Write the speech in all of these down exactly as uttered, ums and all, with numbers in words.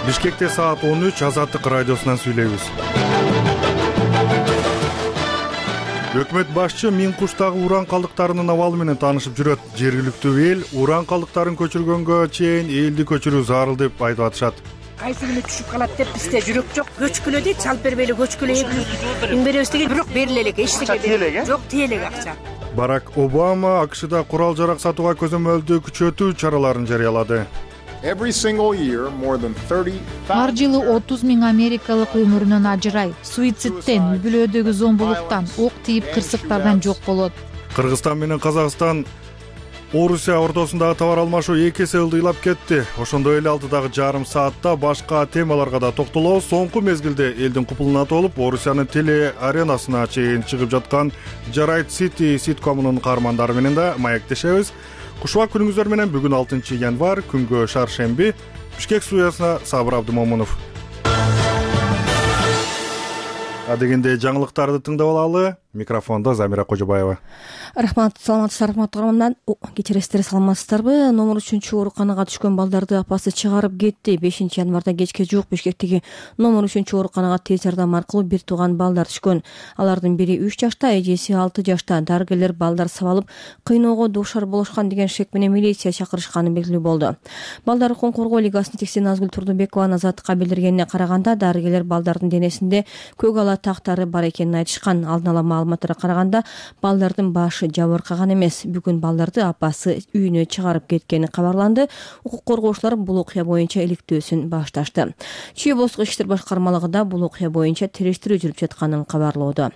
Бишкекте саат он үч, Азаттык радиосунан сүйлөйбүз. Өкмөт башчы Миң куштагы уран калдыктарынын абалы менен таанышып жүрөт. Жергиликтүү эл уран калдыктарын көчүргөнгө чейин элди көчүрүү зарыл деп айтып атышат. Кайсы күнү түшүп калат деп бизде жүрөк жок. Көчкүлө дейт, чалып бербейли көчкүлө эң беребиз деген бирок бериле элек, эчтеке жок, тие элек акча. Барак Обама АКШда курал жарак сатууга көзөмөлдү күчөтүү чараларын жарыялады. Ар жылы отуз миң америкалык өмүрүнөн ажырай, суицидтен, үй-бүлөдөгү зомбулуктан, ок тийип кырсыктардан жок болот. Кыргызстан менен Казакстан Орусия ортосундагы товар алмашуу эки эсе ылдыйлап кетти. Ошондой эле алдыдагы жарым саатта башка темаларга да токтолобуз. Соңку мезгилде элдин купулуна толуп, Орусиянын теле аренасына чейин чыгып жаткан Жарайт Сити ситкомунун каармандары менен да маектешебиз. Кушубак күнүңүздөр менен бүгүн алтынчы январь, күнгө шаршемби. Бишкек студиясына Сабыр Абдымомунов. Адегенде жаңылыктарды тыңдап алалы. Микрофондо Замира Кожобаева. Рахмат, саламатсыздар, рахмат. Кечиресиздер, саламатсыздарбы? Номер үчүнчү ооруканага түшкөн балдарды апасы чыгарып кетти. бешинчи январда кечке жуук Бишкектеги номер үчүнчү ооруканага тез жардам аркылуу бир тууган балдар түшкөн. Алардын бири үч жашта, эжеси алты жашта. Дарыгерлер балдар сабалып, кыйноого дуушар болушкан деген шек менен милиция чакырышканы белгилүү болду. Балдар укугун коргоо лигасынын текси Назгүл Турдубекова Азаттыкка билдиргенине караганда, дарыгерлер балдардын денесинде көк ала тактары бар экенин айтышкан. Алдын ала маалыматтарга караганда, балдардын башы жабыркаган эмес. Бүгүн балдарды апасы үйүнө чыгарып кеткени кабарланды. Укук коргоочулар бул окуя боюнча иликтөөсүн башташты. Чүй облустук иштер башкармалыгы да бул окуя боюнча териштирүү жүрүп жатканын кабарлоодо.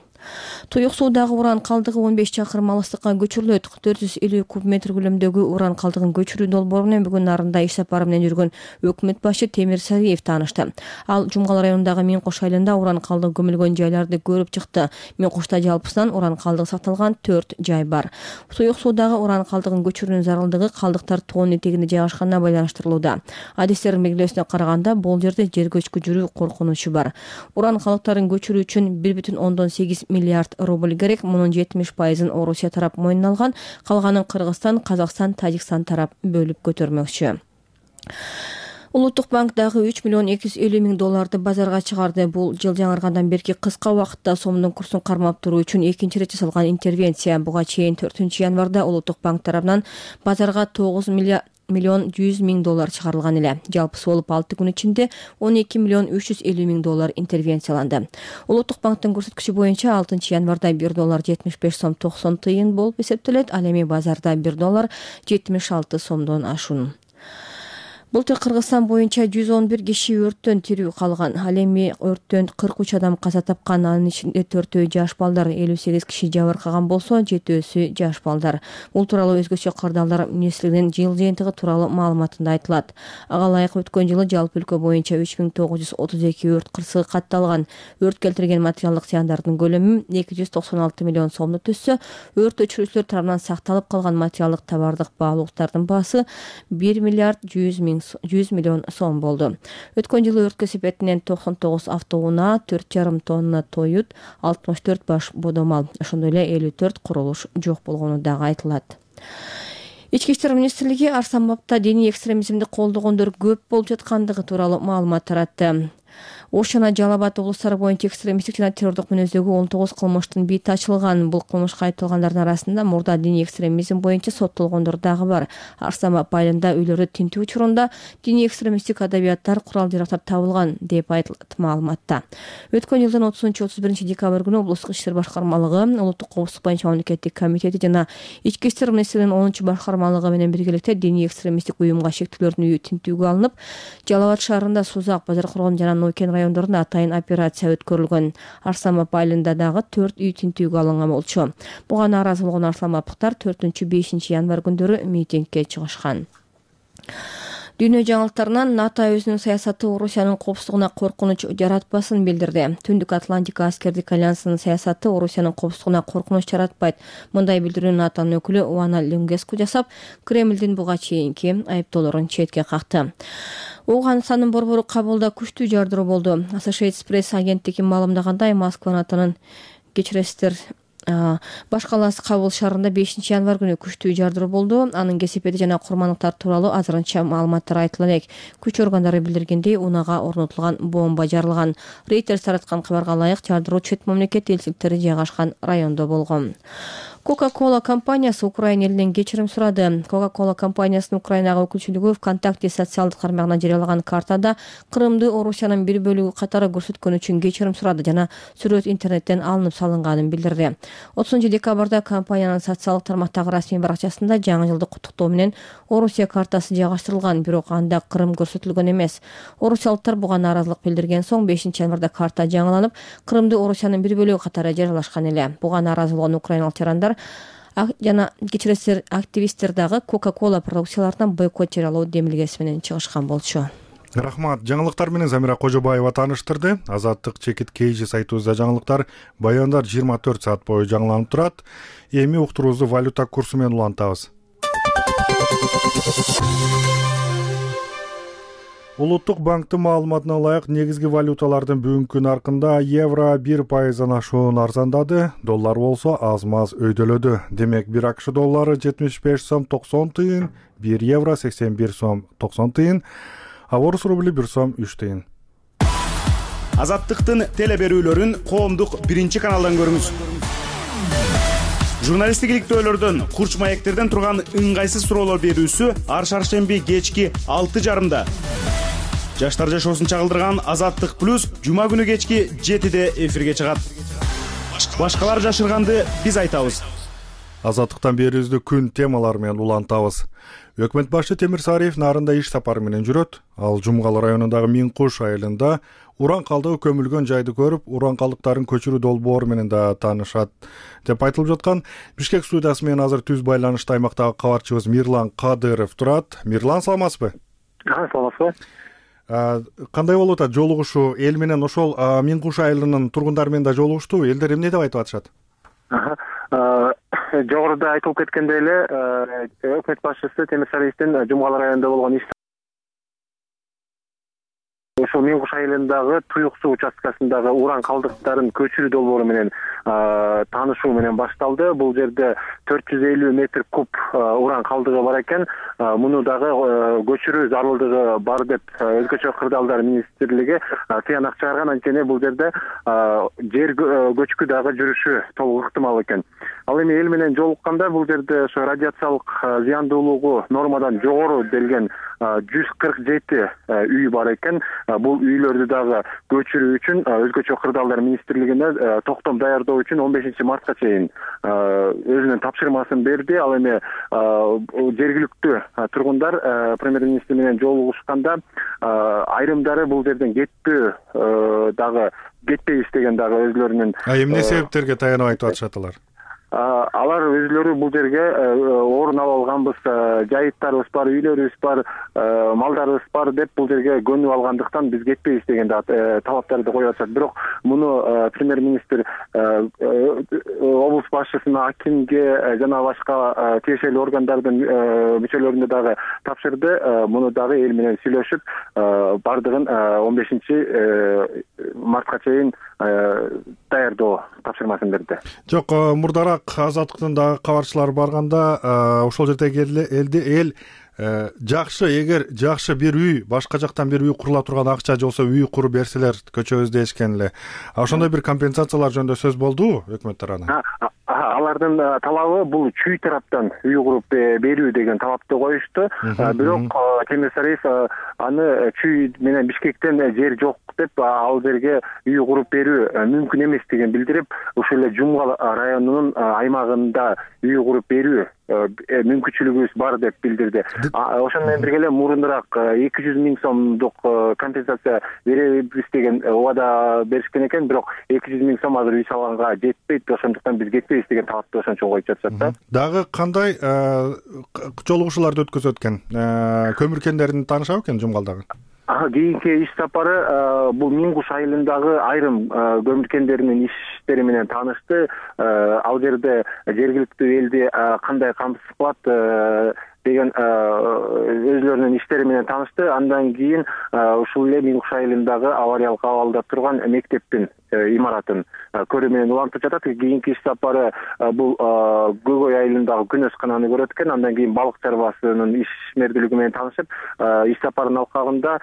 Туюк суудагы уран калдыгы он беш чакырым алыстыкка көчүрүлөт. төрт жүз элүү куб метр көлөмдөгү уран калдыгын көчүрүү долбоору менен бүгүн нарында иш сапары менен жүргөн өкмөт башчы Темир Сариев таанышты. Ал Жумгал районундагы Миң Куш айылында уран калдыгы көмүлгөн жайларды көрүп чыкты. Миң Кушта жалпысынан уран калдыгы сакталган төрт жай бар. Туюк суудагы уран калдыгын көчүрүүнүн зарылдыгы калдыктар тоонун этегинде жайгашканына байланыштырылууда. Адистердин белгилөөсүнө караганда, бул жерде жер көчкү жүрүү коркунучу бар. Уран калдыктарын көчүрүү үчүн бир бүтүн ондон сегиз миллиард рубль керек. Мунун жетимиш пайызын Орусия тарап мойнуна алган, калганын Кыргызстан, Казакстан, Тажикстан тарап бөлүп көтөрмөкчү. Улуттук банк дагы үч миллион эки жүз элүү миң долларды базарга чыгарды. Бул жыл жаңыргандан берки кыска убакытта сомдун курсун кармап туруу үчүн экинчи ирет жасалган интервенция. Буга чейин төртүнчү январда Улуттук банк тарабынан базарга тогуз миллион жүз миң доллар чыгарылган эле. Жалпысы болуп алты күн ичинде он эки миллион үч жүз элүү миң доллар интервенцияланды. Улуттук банктын көрсөткүчү боюнча алтынчы январда бир доллар жетимиш беш сом токсон тыйын болуп эсептелет. Ал эми базарда бир доллар жетимиш алты сомдон ашуун. Былтыр Кыргызстан боюнча жүз он бир киши өрттөн тирүү калган. Ал эми өрттөн кырк үч адам каза тапкан. Анын ичинде төртөө жаш балдар, элүү сегиз киши жабыркаган болсо, жетөөсү жаш балдар. Бул тууралуу өзгөчө кырдаалдар министрлигинин жыл жыйынтыгы тууралуу маалыматында айtылат. Ага ылайык өткөн жылы жалпы өлкө боюнча үч миң тогуз жүз отуз эки өрт кырсыгы катталган. Өрт келтирген материалдык зыяндардын көлөмү эки жүз токсон алты миллион сомду түзсө, өрт өчүрүүчүлөр тарабынан сакталып калган материалдык товардык баалуулуктардын баасы бир миллиард жүз миллион сом болду. Өткөн жылы өрткө себепинен токсон тогуз автоунаа, төрт жарым тонна тоют, алтымыш төрт баш бодомал, ошондой эле элүү төрт курулуш жок болгону дагы айтылат. Ички иштер министрлиги Арсанбапта диний экстремизмди колдогондор көп болуп жаткандыгы тууралуу маалымат таратты. Ош жана Жалал Абад облустары боюнча экстремисттик жана террордук мүнөздөгү он тогуз кылмыштын бити ачылган. Бул кылмышка айыпталгандардын арасында мурда диний экстремизм боюнча соттолгондор дагы бар. Арсанбап айылында үйлөрдү тинтүү учурунда диний экстремисттик адабияттар, курал-жарактар табылган деп айтылат маалыматта. Өткөн жылдын отузунчу отуз биринчи декабрь күнү облустук иштер башкармалыгы, улуттук коопсуздук боюнча мамлекеттик комитети жана ички иштер министрлигинин онунчу башкармалыгы менен биргеликте диний экстремисттик уюмга шектүүлөрдүн үйү тинтүүгө алынып, Жалал Абад шаарында Сузак, Базаркоргон жана Нойкен райондорунда атайын операция өткөрүлгөн. Арсанбап айылында дагы төрт үй тинтүүгө алынган болчу. Буга нааразы болгон арсанбаптыктар төртүнчү бешинчи январь күндөрү митингге чыгышкан. Дүйнө жаңылыктарынан НАТО өзүнүн саясаты Орусиянын коопсуздугуна коркунуч жаратпасын билдирди. Түндүк Атлантика аскердик альянсынын саясаты Орусиянын коопсуздугуна коркунуч жаратпайт. Мындай билдирүүнү НАТОнун өкүлү Уана Люнгеску жасап, Кремлдин буга чейинки айыптоолорун четке какты. Оганстандын борбору Кабулда күчтүү жардыруу болду. Associated Press агенттиги маалымдагандай, Москва НАТОнун кечиресиздер Баш калаасы Кабул шаарында бешинчи январь күнү күчтүү жардыруу болду. Анын кесепети жана курмандыктар тууралуу азырынча маалыматтар айтыла элек. Күч органдары билдиргендей, унаага орнотулган бомба жарылган. Reuters тараткан кабарга ылайык, жардыруу чет мамлекет элчиликтери жайгашкан райондо болгон. Coca-Cola компаниясы Украина элинен кечирим сурады. Coca-Cola компаниясынын Украинага өкүлчүлүгү ВКонтакте социалдык тармагына жарыялаган картада Крымды Орусиянын бир бөлүгү катары көрсөткөн үчүн кечирим сурады жана сүрөт интернеттен алынып салынганын билдирди. отузунчу декабрда компаниянын социалдык тармактагы расмий баракчасында жаңы жылдык куттуктоо менен Орусия картасы жайгаштырылган, бирок анда Крым көрсөтүлгөн эмес. Орусиялыктар буга нааразылык билдирген соң бешинчи январда карта жаңыланып, Крымды Орусиянын бир бөлүгү катары жарыялашкан эле. Буга нааразы болгон украиналык жарандар жана кечиресиздер активисттер дагы Coca-Cola продукцияларынан бойкот жарыялоо демилгеси менен чыгышкан болчу. Рахмат. Жаңылыктар менен Замира Кожобаева тааныштырды. Азаттык чекит Кейжи сайтыбызда жаңылыктар, баяндар жыйырма төрт саат бою жаңыланып турат. Эми уктуруубузду валюта курсу менен улантабыз. Улуттук банктын маалыматына ылайык, негизги валюталардын бүгүнкү наркында евро бир пайыздан ашуун арзандады, доллар болсо аз-маз өйдөлөдү. Демек, бир АКШ доллары жетимиш беш сом токсон тыйын, бир евро сексен бир сом токсон тыйын, а орус рубли бир сом үч тыйын. Азаттыктын теле берүүлөрүн коомдук биринчи каналдан көрүңүз. Журналисттик иликтөөлөрдөн, курч маектерден турган ыңгайсыз суроолор берүүсү ар шаршемби кечки алты жарымда. Жаштар жашоосун чагылдырган Азаттык плюс жума күнү кечки жетиде эфирге чыгат. Башкалар жашырганды биз айтабыз. Азаттыктан берүүбүздү күн темалары менен улантабыз. Өкмөт башы Темир Сариев нарында иш сапары менен жүрөт. Ал Жумгал районундагы Миңкуш айылында уран калдыгы көмүлгөн жайды көрүп, уран калдыктарын көчүрүү долбоору менен да таанышат деп айтылып жаткан. Бишкек студиясы менен азыр түз байланышта аймактагы кабарчыбыз Мирлан Кадыров турат. Мирлан, саламатсызбы? Саламатсызбы. Кандай болуп атат жолугушуу эл менен? Ошол Миңкуш айылынын тургундары менен да жолугушту. Элдер эмне деп айтып атышат? Жогоруда айтылып кеткендей эле, өкмөт башчысы Темир Сариевдин Жумгал районунда болгон иш ошол Миңкуш айылындагы Туюк суу участкасындагы уран калдыктарын көчүрүү долбоору менен таанышуу менен башталды. Бул жерде төрт жүз элүү метр куб уран калдыгы бар экен. Муну дагы көчүрүү зарылдыгы бар деп Өзгөчө кырдаалдар министрлиги тыянак чыгарган. Анткени бул жерде жер көчкү дагы жүрүшү толук ыктымал экен. Ал эми эл менен жолукканда бул жерде ошо радиациялык зыяндуулугу нормадан жогору делген жүз кырк жети үй бар экен. Бул үйлөрдү дагы көчүрүү үчүн Өзгөчө кырдаалдар министрлигине токтом даярдоо үчүн он бешинчи мартка чейин өзүнүн тапшырмасын берди. Ал эми жергиликтүү тургундар премьер-министр менен жолугушканда айрымдары бул жерден кетпөө дагы кетпейбиз деген дагы өзлөрүнүн. А эмне себептерге таянып айтып атышат алар? Алар өзлөрү бул жерге орун ала алганбыз, жайыттарыбыз бар, үйлөрүбүз бар, малдарыбыз бар деп бул жерге көнүп алгандыктан биз кетпейбиз деген талаптарды коюп атышат. Бирок муну премьер-министр облус башчысына, акимге жана башка тиешелүү органдардын мүчөлөрүнө дагы тапшырды. Муну дагы эл менен сүйлөшүп, бардыгын он бешинчи мартка чейин даярдоо тапшырмасын берди. Жок, мурдараак Азаттыктын дагы кабарчылары барганда ошол жердеги элди эл жакшы, эгер жакшы бир үй, башка жактан бир үй курула турган акча же болсо үй куруп берселер көчөбүз дешкен эле. Ошондой бир компенсациялар жөнүндө сөз болдубу өкмөт тарабынан? Алардын талабы бул чүй тараптан үй куруп берүү деген талапты коюшту. Бирок Темир Сариев аны чүй менен Бишкектен жер жок деп ал жерге үй куруп берүү мүмкүн эместигин билдирип, ушул эле Жумгал районунун аймагында үй куруп берүү мүмкүнчүлүгүбүз бар деп билдирди. Ошону менен бирге эле мурунураак эки жүз миң сомдук компенсация беребиз деген убада беришкен экен, бирок эки жүз миң сом азыр үй салганга жетпейт, ошондуктан биз кетпейбиз деген талапты ошончо коюп жатышат да. Дагы кандай жолугушууларды өткөзөт экен? Көмүр кендерин таанышабы экен Жумгалдагы? Кийинки иш сапары бул Миңкуш айылындагы айрым көмүр кендеринин иштери менен таанышты. Ал жерде жергиликтүү элди кандай камсыз кылат, деген өзлөрүнүн иштери менен таанышты. Андан кийин ушул эле Минкуш айылындагы авариялык абалда турган мектептин имаратын көрүү менен улантып жатат. Кийинки иш сапары бул Көкөй айылындагы күнөс кананы көрөт экен. Андан кийин балык чарбасынын ишмердүүлүгү менен таанышып, иш сапарынын алкагында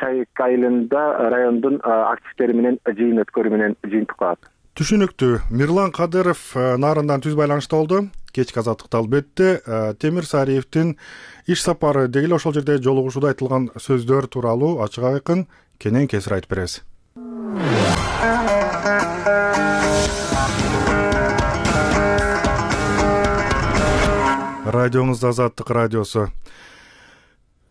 Чайык айылында райондун активдери менен жыйын өткөрүү менен жыйынтык кылат. Түшүнүктүү. Мирлан Кадыров Нарындан түз байланышта болду. Кечки азаттыкта албетте Темир Сариевдин иш сапары деги эле ошол жерде жолугушууда айтылган сөздөр тууралуу ачык айкын кенен кесир айтып беребиз. Радионуз Азаттык радиосу.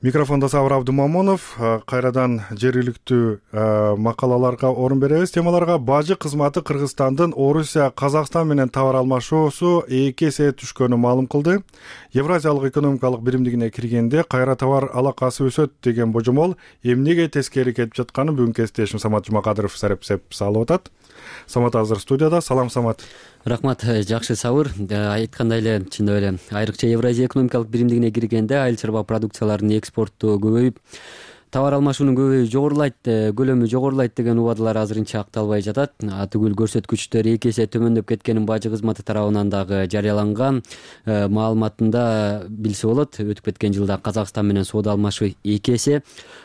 Микрофонда Сабыр Абдумамонов. Кайрадан жергиликтүү макалаларга орун беребиз. Темаларга бажы кызматы Кыргызстандын Орусия, Казакстан менен товар алмашуусу эки эсе түшкөнү маалым кылды. Евразиялык экономикалык биримдигине киргенде кайра товар алакасы өсөт деген божомол эмнеге тескери кетип жатканы бүгүн кесиптешим Самат Жумакадыров сарепсеп салып атат. Самат азыр студияда. Салам, Самат. Рахмат, жакшы Сабыр. Айткандай эле, чындап эле айрыкча Евразия экономикалык биримдигине киргенде айыл чарба продукцияларынын экспорту көбөйүп, товар алмашуунун көбөйүшү жогорулайт, көлөмү жогорулайт деген убадалар азырынча акталбай жатат. Атүгүл көрсөткүчтөр эки эсе төмөндөп кеткенин бажы кызматы тарабынан дагы жарыяланган маалыматында билсе болот. Өтүп кеткен жылда Казакстан менен соода алмашуу эки эсе,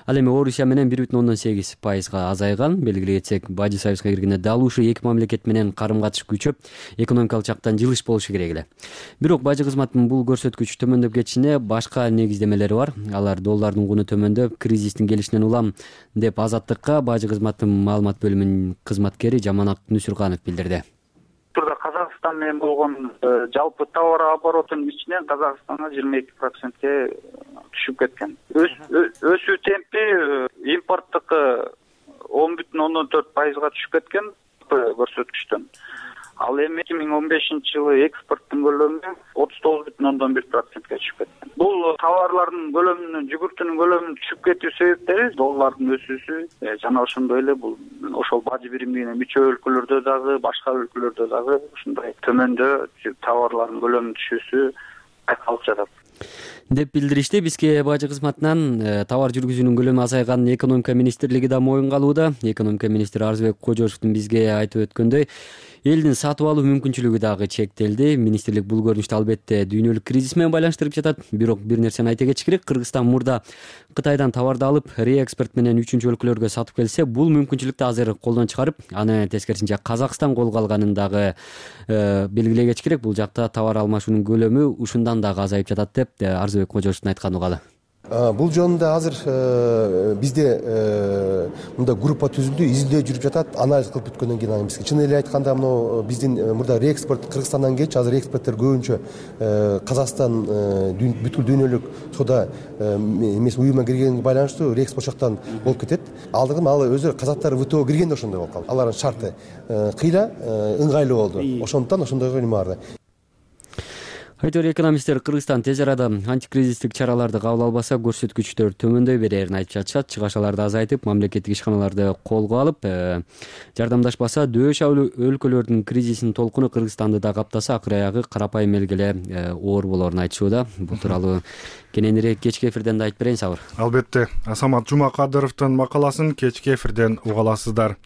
ал эми Орусия менен бир бүтүн ондон сегиз пайызга азайган. Белгилей кетсек, бажы союзга киргенде дал ушул эки мамлекет менен карым-катыш күчөп, экономикалык жактан жылыш болушу керек эле. Бирок бажы кызматынын бул көрсөткүч төмөндөп кетишине башка негиздемелери бар. Алар доллардын куну төмөндөп, кризистин келишинен улам деп Азаттыкка бажы кызматынын маалымат бөлүмүнүн кызматкери Жаманат Нүсүрганов билдирди. Турда Казакстан менен болгон жалпы товар оборотунун ичинен Казакстанга жыйырма эки процентке түшүп кеткен. Өсүү темпи импорттук он бүтүн ондон төрт пайызга түшүп кеткен көрсөткүчтөн. Ал эми эки миң он бешинчи жылы экспорттун көлөмү отуз тогуз бүтүн ондон бир процентке түшүп кеткен. Бул товарлардын көлөмүнүн, жүгүртүнүн көлөмүнүн түшүп кетүү себептери доллардын өсүүсү жана ошондой эле бул ошол бажы биримдигине мүчө өлкөлөрдө дагы, башка өлкөлөрдө дагы ушундай төмөндө товарлардын көлөмүнүн түшүүсү байкалып жатат деп билдиришти. Бизге бажы кызматынан товар жүргүзүүнүн көлөмү азайганын экономика министрлиги да моюнга алууда. Экономика министри Арзыбек Кожошовдун бизге айтып өткөндөй, элдин сатып алуу мүмкүнчүлүгү дагы чектелди. Министрлик бул көрүнүштү албетте дүйнөлүк кризис менен байланыштырып жатат. Бирок бир нерсени айта кетиш керек. Кыргызстан мурда Кытайдан товарды алып, реэкспорт менен үчүнчү өлкөлөргө сатып келсе, бул мүмкүнчүлүктү азыр колдон чыгарып, аны тескерисинче Казакстан колго алганын дагы белгилей кетиш керек. Бул жакта товар алмашуунун көлөмү ушундан дагы азайып жатат деп Арзыбек Кожошовдун айтканы угалы. Бул жөнүндө азыр бизде мында группа түзүлдү, изилдөө жүрүп жатат. Анализ кылып бүткөндөн кийин анан бизге чын эле айтканда мына биздин мурда реэкспорт Кыргызстандан келчү, азыр экспорттор көбүнчө Казакстан бүткүл дүйнөлүк соода эмес уюмуна киргенге байланыштуу реэкспорт жактан болуп кетет. Алдыгы ал өзү казактар ВТО киргенде ошондой болуп калды. Алардын шарты кыйла ыңгайлуу болду. Ошондуктан ошондойго неме барды. Айтор экономисттер Кыргызстан тез арада антикризистик чараларды кабыл албаса, көрсөткүчтөр төмөндөй берерин айтып жатышат. Чыгашаларды азайтып, мамлекеттик ишканаларды колго алып, жардамдашпаса, дөш өлкөлөрдүн кризисинин толкуну Кыргызстанды да каптаса, акыр аягы карапайым элгиле оор болорун айтышууда. Бул тууралуу кененирээк кечки эфирден да айтып берейин, Сабыр. Албетте, Самат Жумакадыровдун макаласын кечки эфирден уга аласыздар.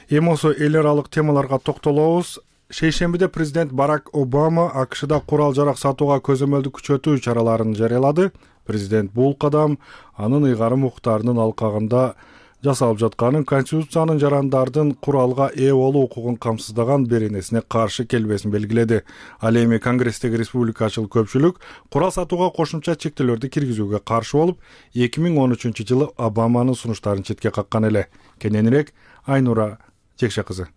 Эми осо эл аралык темаларга токтолобуз. Шейшембиде президент Барак Обама АКШда курал-жарак сатууга көзөмөлдү күчөтүү чараларын жарыялады. Президент бул кадам анын ыйгарым укуктарынын алкагында жасалып жатканын, Конституциянын жарандардын куралга ээ болуу укугун камсыздаган беренесине каршы келбесин белгиледи. Ал эми Конгресстеги республикачыл көпчүлүк курал сатууга кошумча чектөөлөрдү киргизүүгө каршы болуп, эки миң он үчүнчү жылы Обаманын сунуштарын четке каккан эле. Кененирээк Айнура Жекше кызы.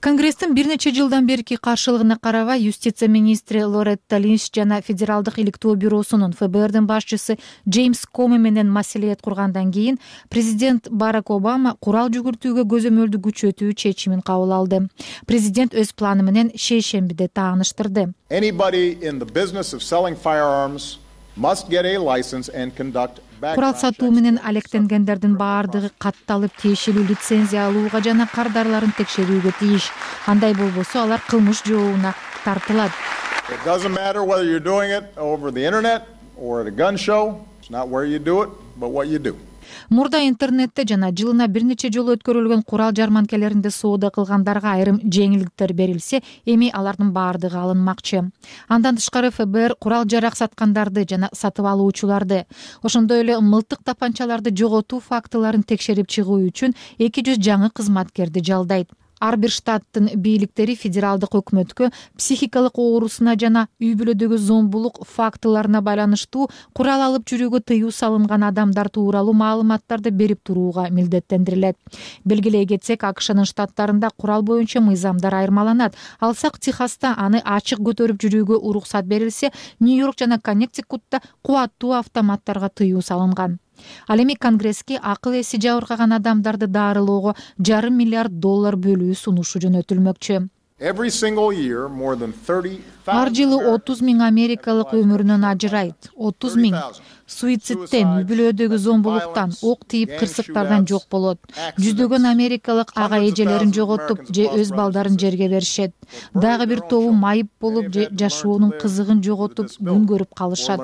Конгресстин бир нече жылдан берки каршылыгына карабай, юстиция министри Лоретта Линч жана Федералдык иликтөө бюросунун эф бэ эрдин башчысы Джеймс Коми менен маселет кургандан кийин президент Барак Обама курал жүгүртүүгө көзөмөлдү күчөтүү чечимин кабыл алды. Президент өз планы менен шейшембиде тааныштырды. Anybody in the business of selling firearms must get a license and conduct Курал сатуу менен алектенгендердин баардыгы катталып, тиешелүү лицензия алууга жана кардарларын текшерүүгө тийиш. Андай болбосо алар кылмыш жообуна тартылат. It doesn't matter whether you're doing it over the internet, or at a gun show. It's not where you do it, but what you do. Мурда интернетте жана жылына бир нече жолу өткөрүлгөн курал жарманкелеринде соода кылгандарга айрым жеңилдиктер берилсе, эми алардын баардыгы алынмакчы. Андан тышкары эф бэ эр курал жарак саткандарды жана сатып алуучуларды, ошондой эле мылтык тапанчаларды жоготуу фактыларын текшерип чыгуу үчүн эки жүз жаңы кызматкерди жалдайт. Ар бир штаттын бийликтери федералдык өкмөткө психикалык оорусуна жана үй бүлөдөгү зомбулук фактыларына байланыштуу курал алып жүрүүгө тыюу салынган адамдар тууралуу маалыматтарды берип турууга милдеттендирилет. Белгилей кетсек, АКШнын штаттарында курал боюнча мыйзамдар айырмаланат. Алсак, Техаста аны ачык көтөрүп жүрүүгө уруксат берилсе, Нью-Йорк жана Коннектикутта кубаттуу автоматтарга тыюу салынган. Ал эми Конгресске акыл эси жабыркаган адамдарды дарылоого жарым миллиард доллар бөлүү сунушу жөнөтүлмөкчү. Ар жылы отуз миң америкалык өмүрүнөн ажырайт. отуз миң суициттен, үй бүлөдөгү зомбулуктан, ок тийип кырсыктардан жок болот. Жүздөгөн америкалык ага эжелерин жоготуп же өз балдарын жерге беришет. Дагы бир тобу майып болуп же жашоонун кызыгын жоготуп күн көрүп калышат,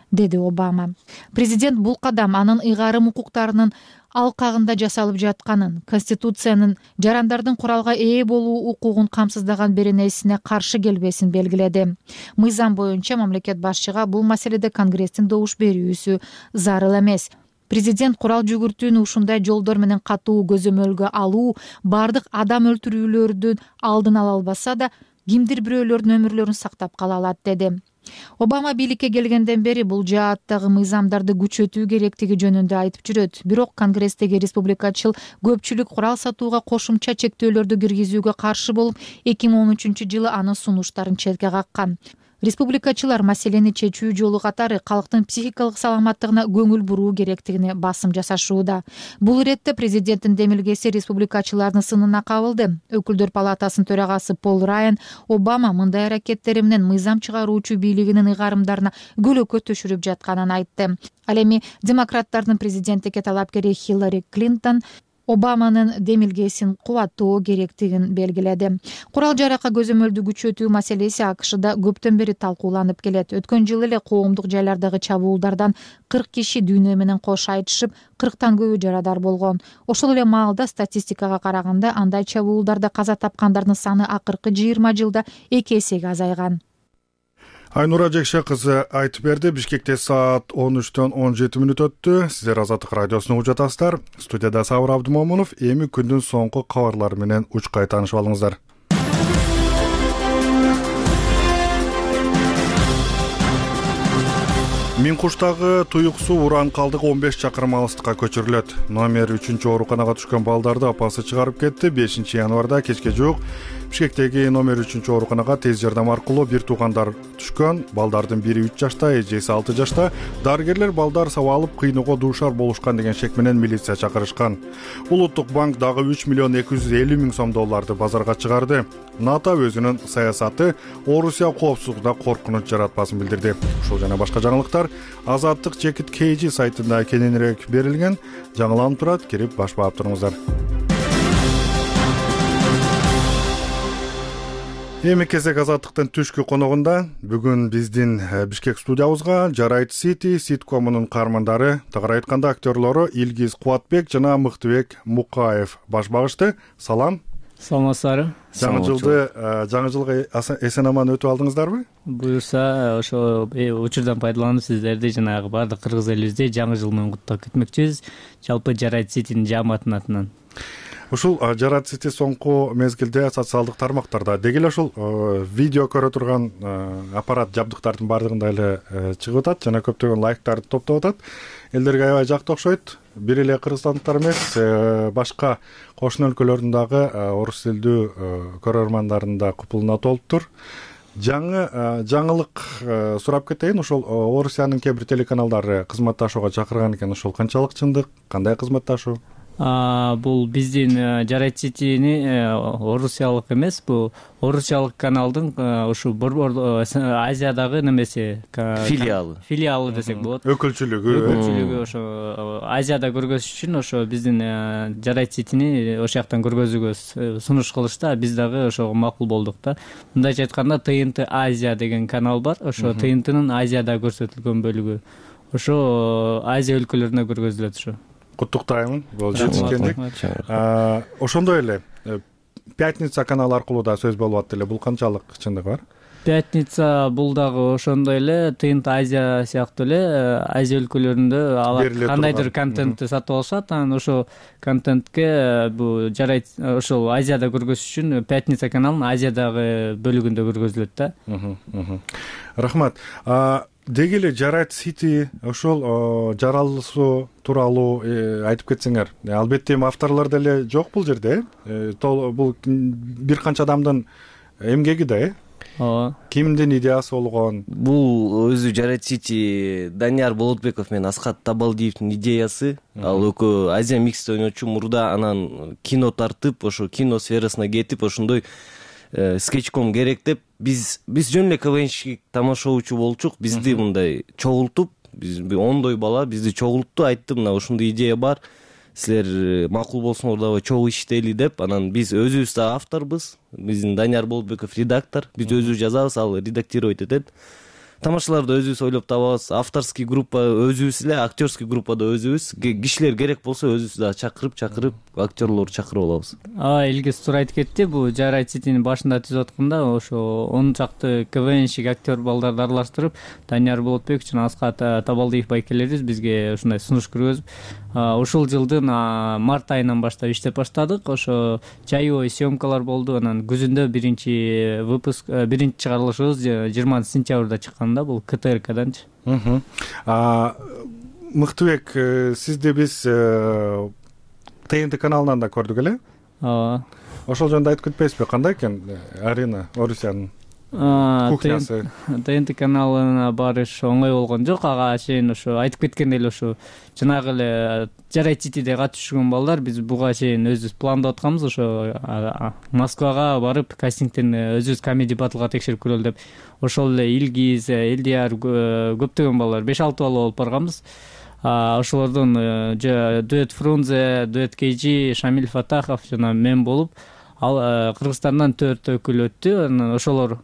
деди Обама. Президент бул кадам анын ыйгарым укуктарынын алкагында жасалып жатканын, Конституциянын жарандардын куралга ээ болуу укугун камсыздаган беренесине каршы келбесин белгиледи. Мыйзам боюнча мамлекет башчыга бул маселеде Конгресстин добуш берүүсү зарыл эмес. Президент курал жүгүртүүнү ушундай жолдор менен катуу көзөмөлгө алуу, бардык адам өлтүрүүлөрдүн алдын ала албаса да, кимдир бирөөлөрдүн өмүрлөрүн сактап кала алат, деди. Обама бийликке келгенден бери бул жааттагы мыйзамдарды күчөтүү керектиги жөнүндө айтып жүрөт. Бирок Конгресстеги республикачыл көпчүлүк курал сатууга кошумча чектөөлөрдү киргизүүгө каршы болуп, эки миң он үчүнчү жылы анын сунуштарын четке каккан. Республикачылар маселени чечүү жолу катары калктын психикалык саламаттыгына көңүл буруу керектигине басым жасашууда. Бул иретте президенттин демилгеси республикачылардын сынына кабылды. Өкүлдөр палатасынын төрагасы Пол Райан Обама мындай аракеттери менен мыйзам чыгаруучу бийлигинин ыйгарымдарына көлөкө төшүрүп жатканын айтты. Ал эми демократтардын президенттикке талапкери Хиллари Клинтон Обаманын демилгесин кубаттоо керектигин белгиледи. Курал жаракка көзөмөлдү күчөтүү маселеси АКШда көптөн бери талкууланып келет. Өткөн жылы эле коомдук жайлардагы чабуулдардан кырк киши дүйнө менен кош айтышып, кырктан көбү жарадар болгон. Ошол эле маалда статистикага караганда андай чабуулдарда каза тапкандардын саны акыркы жыйырма жылда эки эсеге азайган. Айнура Жекше кызы айтып берди. Бишкекте саат он үчтөн он жети мүнөт өттү. Сиздер Азаттык радиосуну угуп жатасыздар. Студияда Сабыр Абдымомунов. Эми күндүн соңку кабарлары менен учкай таанышып алыңыздар. Миңкуштагы туюк суу Уран калдыгы он беш чакырым алыстыкка көчүрүлөт. Номер үчүнчү ооруканага түшкөн балдарды апасы чыгарып кетти. бешинчи январда кечке жуук Бишкектеги номер үчүнчү ооруканага тез жардам аркылуу бир туугандар түшкөн. Балдардын бири үч жашта, эжеси алты жашта. Дарыгерлер балдар сабалып кыйноого дуушар болушкан деген шек менен милиция чакырышкан. Улуттук банк дагы үч миллион эки жүз элүү миң сом долларды базарга чыгарды. НАТО өзүнүн саясаты Орусия коопсуздугуна коркунуч жаратпасын билдирди. Ушул жана башка жаңылыктар Азаттык Чекит Кейжи сайтында кененирээк берилген. Жаңыланып турат, кирип баш баап туруңуздар. Эми кезек Азаттыктын түшкү коногунда бүгүн биздин Бишкек студиябызга Жарайт Сити ситкомунун каармандары, тагыраак айтканда актерлору Илгиз Кубатбек жана Мыктыбек Мукаев баш багышты. Салам. Саламатсыздарбы? Жаңы жылды, жаңы жылга эсен аман өтүп алдыңыздарбы? Буюрса, ошо учурдан пайдаланып сиздерди жанагы баардык кыргыз элибизди жаңы жыл менен куттуктап кетмекчибиз. Жалпы Жарайт Ситинин жааматынын атынан. Ушул Жарайт Сити соңку мезгилде социалдык тармактарда деги эле ушул видео көрө турган аппарат жабдыктардын баардыгында эле чыгып атат жана көптөгөн лайктарды топтоп атат. Элдерге аябай жакты окшойт. Бир эле кыргызстандыктар эмес, башка кошуна өлкөлөрдүн дагы орус тилдүү көрөрмандарын да купулуна толуптур. Жаңы жаңылык сурап кетейин. Ошол Орусиянын кээ бир телеканалдары кызматташууга чакырган экен. Ошол канчалык чындык? Кандай кызматташуу? бул биздин жарайт ситини орусиялык эмес, бул орусиялык каналдын ушу борбор Азиядагы немеси филиалы филиалы десек болот. Өкүлчүлүгү өкүлчүлүгү ошо Азияда көргөзүш үчүн ошо биздин жарайт ситини ошол жактан көргөзүүгө сунуш кылышты. Биз дагы ошого макул болдук да. Мындайча айтканда тэ эн тэ Азия деген канал бар. Ошо тэ эн тэнин Азияда көрсөтүлгөн бөлүгү ошо Азия өлкөлөрүндө көргөзүлөт. Ошо куттуктайм, бул жетишкендик. Ошондой эле Пятница каналы аркылуу да сөз болуп атты эле. Бул канчалык чындык бар? Пятница бул дагы ошондой эле тэ эн тэ Азия сыяктуу эле Азия өлкөлөрүндө алар кандайдыр контентти сатып алышат. Анан ошо контентке бул жарайт ошол Азияда көргөзүш үчүн Пятница каналынын Азиядагы бөлүгүндө көргөзүлөт да. Рахмат. Деги эле жарайт сити ошол жаралышуу тууралуу айтып кетсеңер. Албетте эми авторлор деле жок бул жерде. Бул бир канча адамдын эмгеги да, э? Ооба. Кимдин идеясы болгон? Бул өзү жарайт сити Данияр Болотбеков менен Аскат Табалдиевдин идеясы. Ал экөө Азия миксте ойночу мурда, анан кино тартып, ошо кино сферасына кетип, ошондой скетчком керек деп биз биз жөн эле КВНщик тамашоочу болчук. Бизди мындай чогултуп, биз ондой бала бизди чогултту, айтты мына ушундай идея бар, силер макул болсоңор дагы чогуу иштейли деп. Анан биз өзүбүз да авторбуз. Биздин Данияр Болотбеков редактор, биз өзүбүз жазабыз, ал редактировать этет. Тамашаларды өзүбүз ойлоп табабыз. Авторский группа өзүбүз эле, актерский группада өзүбүз. Кишилер керек болсо өзүбүз да чакырып чакырып актерлорду чакырып алабыз. А Илгиз туура айтып кетти. Бул жарайт ситинин башында түзүп атканда ошо он чакты КВНщик актер балдарды аралаштырып, Данияр Болотбек жана Аскат Табалдиев байкелерибиз бизге ушундай сунуш көргөзүп, ушул жылдын март айынан баштап иштеп баштадык. Ошо жайоо съемкалар болду. Анан күзүндө биринчи выпуск, биринчи чыгарылышыбыз жыйырманчы сентябрда чыккан да, бул ка тэ эр каданчы. Мыктыбек, сизди биз тэ эн тэ каналынан да көрдүк эле. Ооба. Ошол жөнүндө айтып кетпейсизби, кандай экен Арина Орусиянын кухнясы? тэ эн тэ каналына барыш оңой болгон жок. Ага чейин ошо айтып кеткендей эле ошо жанагы эле жарайт ситиде катышып балдар биз буга чейин өзүбүз пландап атканбыз. Ошо Москвага барып кастингден өзүбүз комеди батлга текшерип көрөлү деп. Ошол эле Илгиз, Элдияр, көптөгөн балдар беш алты бала болуп барганбыз. Ошолордон дуэт Фрунзе, дуэт Кейжи, Шамиль Фатахов жана мен болуп, ал Кыргызстандан төрт өкүл өттү. Анан ошолор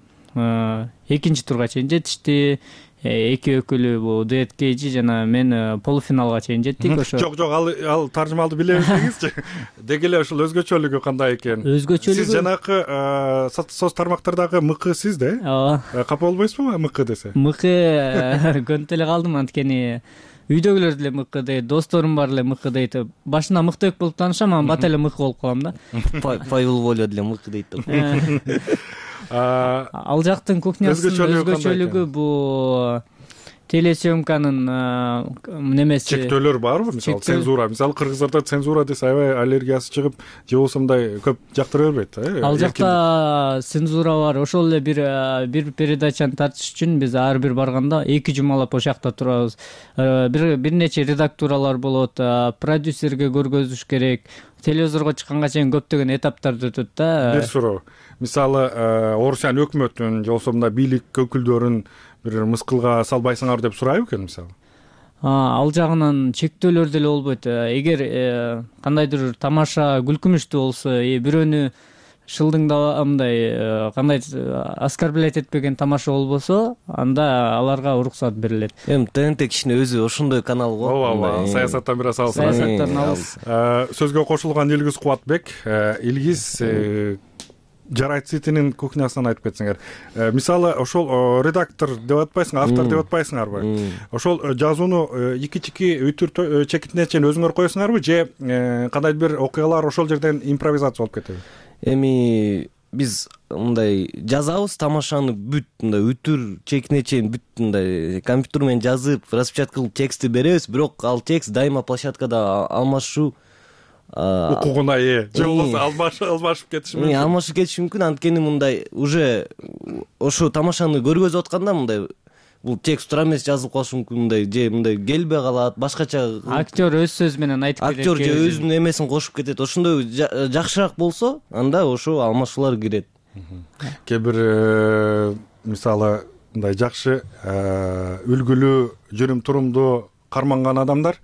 экинчи турга чейин жетишти. Эки өкүлү бул дуэт Кейжи жана мен полуфиналга чейин жеттик. Ошо жок жок ал ал таржымалды билебиз деңизчи. Деги эле ушул өзгөчөлүгү кандай экен? Өзгөчөлүгү сиз жанакы соц тармактардагы мыкы сиз да? Ооба. Капа болбойсузбу мыкы десе? Мыкы көнүп эле калдым, анткени үйдөгүлөр деле мыкы дейт, досторум бар эле мыкы дейт. Башында мыктыбек болуп таанышам, анан бата эле мыкы болуп калам да. Павел Воля деле мыкы дейт да. Ал жактын кухнясынын өзгөчөлүгү бул телесъемканын немеси. Чектөөлөр барбы? Мисалы цензура. Мисалы кыргыздарда цензура десе аябай аллергиясы чыгып, же болбосо мындай көп жактыра бербейт, э? Ал жакта цензура бар. Ошол эле бир бир передачаны тартыш үчүн биз ар бир барганда эки жумалап ошол жакта турабыз. Бир бир нече редактуралар болот, продюсерге көргөзүш керек. Телевизорго чыкканга чейин көптөгөн этаптарды өтөт да. Бир суроо. Мисалы Орусиян өкмөтүн же болбосо мына бийлик өкүлдөрүн бир мыскылга салбайсыңар деп сурайбы экен мисалы? Ал жагынан чектөөлөр деле болбойт. Эгер кандайдыр тамаша күлкүмүштүү болсо, бирөөнү шылдыңда мындай кандай оскорблять этпеген тамаша болбосо, анда аларга уруксат берилет. Эми тэ эн тэ кичине өзү ошондой канал го. Ооба, саясаттан бир аз алыс. Саясаттан алыс. Сөзгө кошулган Илгиз Кубатбек, Илгиз жарайт ситинин кухнясынан айтып кетсеңер. Мисалы ошол редактор деп атпайсыңар, автор деп атпайсыңарбы? Ошол жазууну ики-чики үтүр чекитине чейин өзүңөр коесуңарбы же кандайдыр бир окуялар ошол жерден импровизация болуп кетеби? Эми биз мындай жазабыз, тамашаны бүт мындай үтүр чекине чейин бүт мындай компьютер менен жазып, распечатка кылып текстти беребиз, бирок ал текст дайыма площадкада алмашуу укугуна ээ, же болбосо алмашып кетиши мүмкүн. Алмашып кетиши мүмкүн, анткени мындай уже ошо тамашаны көргөзүп атканда мындай бул текст туура эмес жазылып калышы мүмкүн, мындай же мындай келбей калат, башкача актер өз сөзү менен айтып кетет, актер же өзүнүн эмесин кошуп кетет. Ошондой жакшыраак болсо анда ошо алмашуулар кирет. Кээ бир мисалы мындай жакшы үлгүлүү, жүрүм турумдуу карманган адамдар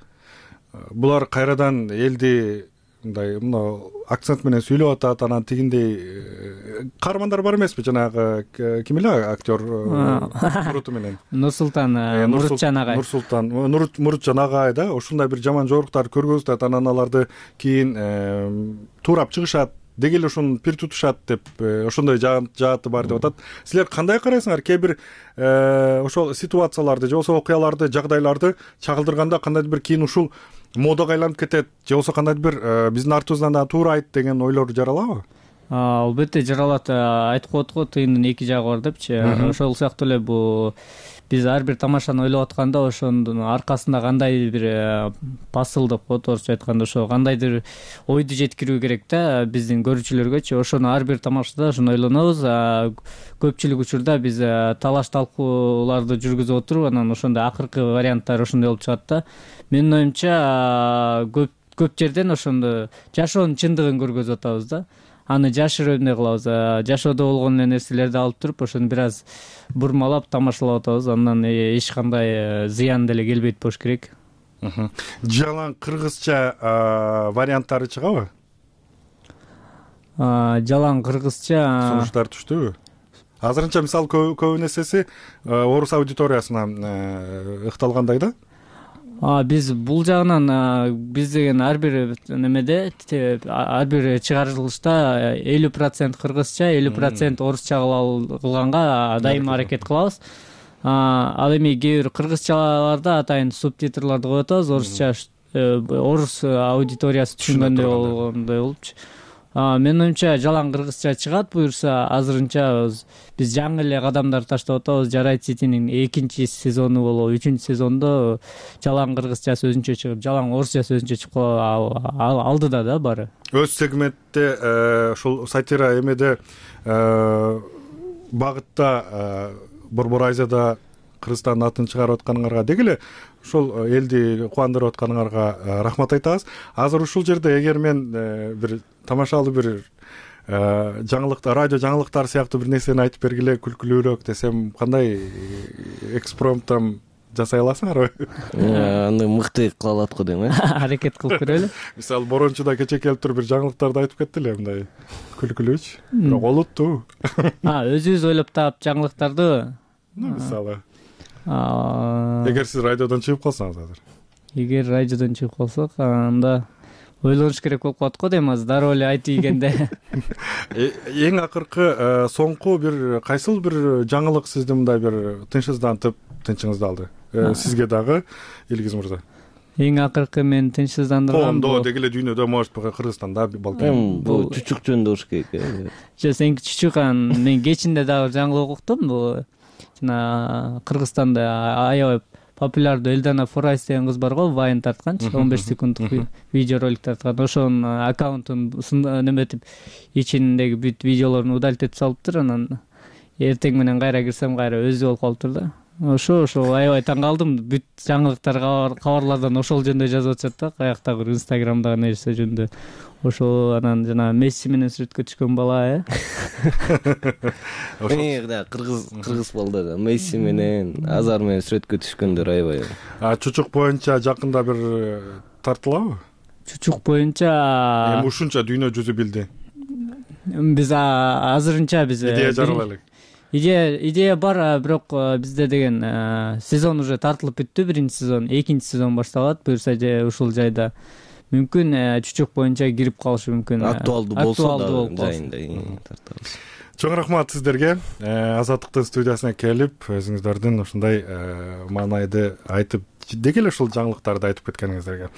булар кайрадан элди мындай мына акцент менен сүйлөп атат, анан тигиндей каармандар бар эмеспи? Жанагы ким эле актер Муруту менен Нурсултан Мурутжан агай. Нурсултан Мурутжан агай да, ушундай бир жаман жоруктарды көргөзүп атат, анан аларды кийин туурап чыгышат, деги эле ошону пир тутушат деп ошондой жааты бар деп атат. Силер кандай карайсыңар? Кээ бир ошол ситуацияларды же болбосо окуяларды, жагдайларды чагылдырганда кандайдыр бир кийин ушул модага айланып кетет, же болбосо кандайдыр бир биздин артыбыздан да туура айт деген ойлор жаралабы? Албетте жаралат. Айтып коет го, тыйындын эки жагы бар депчи. Ошол сыяктуу эле бул биз ар бир тамашаны ойлоп атканда ошонун аркасында кандай бир посыл деп коет, орусча айтканда, ошо кандайдыр ойду жеткирүү керек да биздин көрүүчүлөргөчү. Ошону ар бир тамашада ошону ойлонобуз. Көпчүлүк учурда биз талаш талкууларды жүргүзүп отуруп, анан ошондой акыркы варианттар ошондой болуп чыгат да. Менин оюмча көп көп жерден ошондо жашоонун чындыгын көргөзүп атабыз да. Аны жашырып эмне кылабыз? Жашоодо болгон нерселерди алып туруп, ошону бир аз бурмалап тамашалап атабыз. Андан эч кандай зыян деле келбейт болуш керек. Жалаң кыргызча варианттары чыгабы? Жалаң кыргызча сунуштар түштүбү? Азырынча мисалы көбү нерсеси орус аудиториясына ыкталгандай да. Биз бул жагынан биз деген ар бир немеде, ар бир чыгарылышта элүү процент кыргызча, элүү процент орусча кылганга дайыма аракет кылабыз. Ал эми кээ бир кыргызчаларда атайын субтитрларды коюп атабыз, орусча орус аудиториясы түшүнгөндөй болгондой болупчу. Менин оюмча жалаң кыргызча чыгат буюрса, азырынча биз жаңы эле кадамдар таштап атабыз. Жарайт Ситинин экинчи сезону болобу, үчүнчү сезондо жалаң кыргызча сөзүнчө чыгып, жалаң орусча сөзүнчө чыгып алдыда да баары. Өз сегментте ушул сатира эмеде багытта Борбор Азияда Кыргызстандын атын чыгарып атканыңарга деги эле ушул элди кубандырып атканыңарга рахмат айтабыз. Азыр ушул жерде эгер мен бир тамашалуу бир жаңылыктар, радио жаңылыктар сыяктуу бир нерсени айтып бергиле, күлкүлүүрөөк десем, кандай экспромттан жасай аласыңарбы? Аны мыкты кыла алат го дейм, э? Аракет кылып көрөлү. Мисалы, Борончуда кече келип туруп бир жаңылыктарды айтып кетти эле, мындай күлкүлүүчү, бирок олуттуу. Өзүбүз ойлоп таап жаңылыктарды, мисалы. Эгер сиз радиодон чыгып калсаңыз азыр. Эгер радиодон чыгып калсак, анда ойлонуш керек болуп калат го дейм, азыр дароо эле айтып ийгенде. Эң акыркы соңку бир кайсыл бир жаңылык сизди мындай бир тынчсыздантып, тынчыңызды алды? Сизге дагы, Илгиз мырза. Эң акыркы мен тынчсыздандырган Коомдо деги эле дүйнөдө, может, Кыргызстанда балким. Бул чучук жөнүндө болуш керек. Жок, сеники чучук, мен кечинде дагы жаңылык уктум. Бул жана Кыргызстанда аябай популярдуу Элдана Форайс деген кыз бар го, вайн тартканчы, он беш секунддук видеоролик тарткан. Ошонун аккаунтун неметип, ичиндеги бүт видеолорун удалить этип салыптыр. Анан эртең менен кайра кирсем, кайра өзү болуп калыптыр да. Ошо ошо аябай таң калдым. Бүт жаңылыктар, кабарлардан ошол жөнүндө жазып атышат да, каяктагы Инстаграмдагы нерсе жөнүндө. Ошо анан жана Месси менен сүрөткө түшкөн бала, э? Эң да кыргыз кыргыз балдар Месси менен, Азар менен сүрөткө түшкөндөр аябай. А чучук боюнча жакында бир тартылабы? Чучук боюнча эми ушунча дүйнө жүзү билди. Биз азырынча биз идея жаралайлык. Идея идея бар, бирок бизде деген сезон уже тартылып бүттү, биринчи сезон, экинчи сезон башталат. Буюрса же ушул жайда мүмкүн чучук боюнча кирип калышы мүмкүн. Актуалдуу болсо да жайында тартабыз. Чоң рахмат сиздерге. Азаттыктын студиясына келип, өзүңүздөрдүн ушундай маанайды айтып, деги эле ушул жаңылыктарды айтып кеткениңиздерге.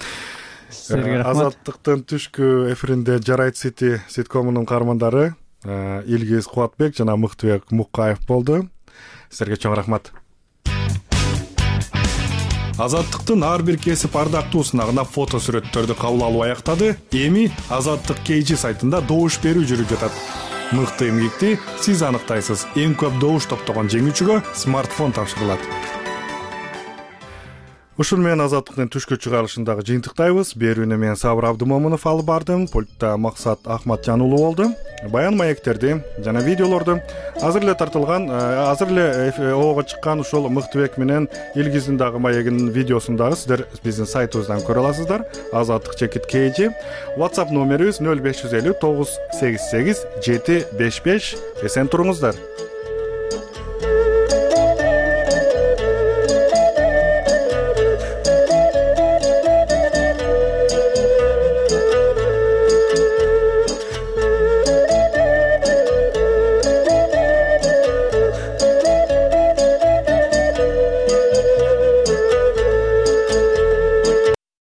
Сиздерге рахмат. Азаттыктын түшкү эфиринде Жарайт Сити ситкомунун каармандары Илгиз Кубатбек жана Мыктыбек Муккаев болду. Сиздерге чоң рахмат. Азаттыктын ар бир кесип ардактуусуна гана фото сүрөттөрдү кабыл алуу аяктады. Эми Азаттык кей жи сайтында добуш берүү жүрүп жатат. мыкты эмгекти сиз аныктайсыз. Эң көп добуш топтогон жеңүүчүгө смартфон тапшырылат. Ушун менен Азаттыктын түшкү чыгарылышындагы жыйынтыктайбыз. Берүүнү мен Сабыр Абдымомунов алып бардым. Пультта Максат Ахматжан уулу болду. Баян маектерди жана видеолорду азыр эле тартылган, азыр эле оого чыккан ушул Мыктыбек менен Илгиздин дагы маегинин видеосун дагы сиздер биздин сайтыбыздан көрө аласыздар. Азаттык чекит kg. WhatsApp номерибиз нөл беш жүз элүү тогуз сегиз сегиз жети беш беш. Эсен туруңуздар.